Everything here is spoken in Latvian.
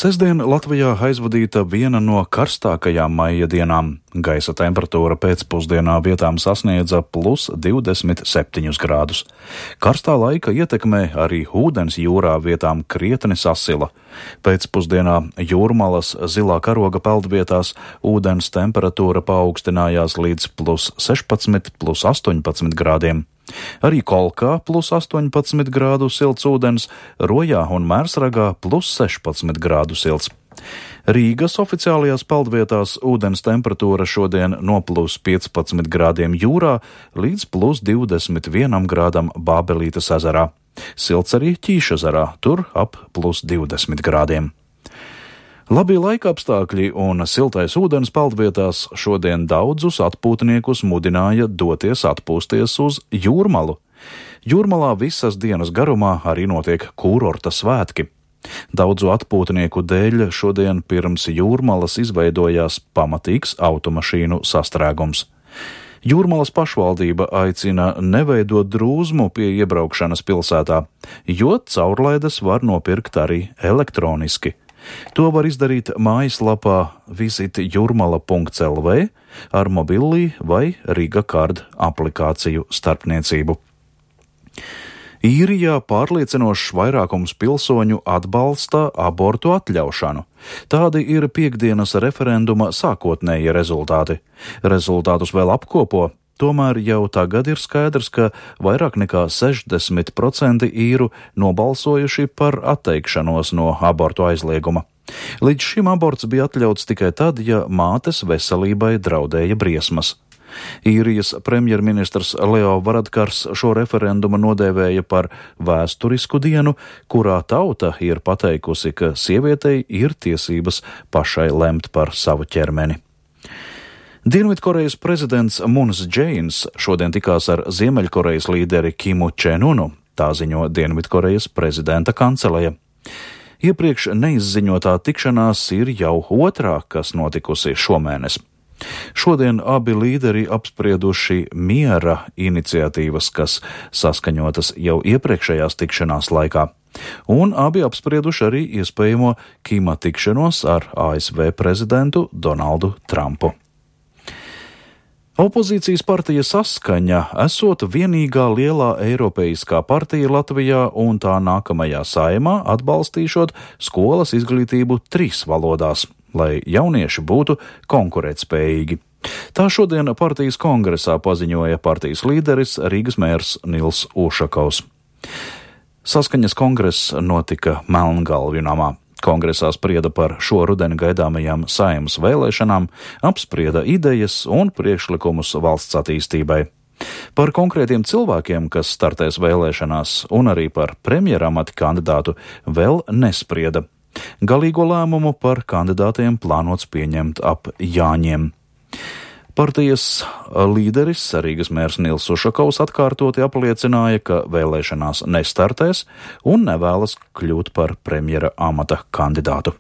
Sestdien Latvijā aizvadīta viena no karstākajām maija dienām. Gaisa temperatūra pēcpusdienā vietām sasniedza plus 27 grādus. Karstā laika ietekmē arī ūdens jūrā vietām krietni sasila. Pēcpusdienā Jūrmalas zilā karoga peldvietās ūdens temperatūra paaugstinājās līdz plus 16, plus 18 grādiem. Arī Kolkā plus 18 grādu silts ūdens, Rojā un Mērsragā plus 16 grādu silts. Rīgas oficiālajās peldvietās ūdens temperatūra šodien no plus 15 grādiem jūrā līdz plus 21 grādam Bābelītes ezerā. Silts arī Ķīšezerā, tur ap plus 20 grādiem. Labi laika apstākļi un siltais ūdens peldvietās šodien daudzus atpūtniekus mudināja doties atpūsties uz Jūrmalu. Jūrmalā visas dienas garumā arī notiek kūrorta svētki. Daudzu atpūtnieku dēļ šodien pirms Jūrmalas izveidojās pamatīgs automašīnu sastrēgums. Jūrmalas pašvaldība aicina neveidot drūzmu pie iebraukšanas pilsētā, jo caurlaides var nopirkt arī elektroniski. To var izdarīt mājaslapā visitjurmala.lv ar mobilī vai Riga Card aplikāciju starpniecību. Īrijā pārliecinošs vairākums pilsoņu atbalsta abortu atļaušanu. Tādi ir piektdienas referenduma sākotnējie rezultāti. Rezultātus vēl apkopo. Tomēr jau tagad ir skaidrs, ka vairāk nekā 60% īru nobalsojuši par atteikšanos no abortu aizlieguma. Līdz šim aborts bija atļauts tikai tad, ja mātes veselībai draudēja briesmas. Īrijas premjerministrs Leo Varadkars šo referendumu nodēvēja par vēsturisku dienu, kurā tauta ir pateikusi, ka sievietei ir tiesības pašai lemt par savu ķermeni. Dienvidkorejas prezidents Mūns Džeins šodien tikās ar Ziemeļkorejas līderi Kimu Čenunu, tā ziņo Dienvidkorejas prezidenta kanceleja. Iepriekš neizziņotā tikšanās ir jau otrā, kas notikusi šomēnes. Šodien abi līderi apsprieduši miera iniciatīvas, kas saskaņotas jau iepriekšējās tikšanās laikā, un abi apsprieduši arī iespējamo Kima tikšanos ar ASV prezidentu Donaldu Trumpu. Opozīcijas partija Saskaņa esot vienīgā lielā eiropeiskā partija Latvijā un tā nākamajā saimā atbalstīšot skolas izglītību 3 valodās, lai jaunieši būtu konkurētspējīgi. Tā šodien partijas kongresā paziņoja partijas līderis Rīgas mērs Nils Ušakovs. Saskaņas kongress notika Melngalvju namā. Kongresā sprieda par šo rudeni gaidāmajām saeimas vēlēšanām, apsprieda idejas un priekšlikumus valsts attīstībai. Par konkrētiem cilvēkiem, kas startēs vēlēšanās, un arī par premjeramata kandidātu vēl nesprieda. Galīgo lēmumu par kandidātiem plānots pieņemt ap Jāņiem. Partijas līderis Rīgas mērs Nils Ušakovs atkārtoti apliecināja, ka vēlēšanās nestartēs un nevēlas kļūt par premjera amata kandidātu.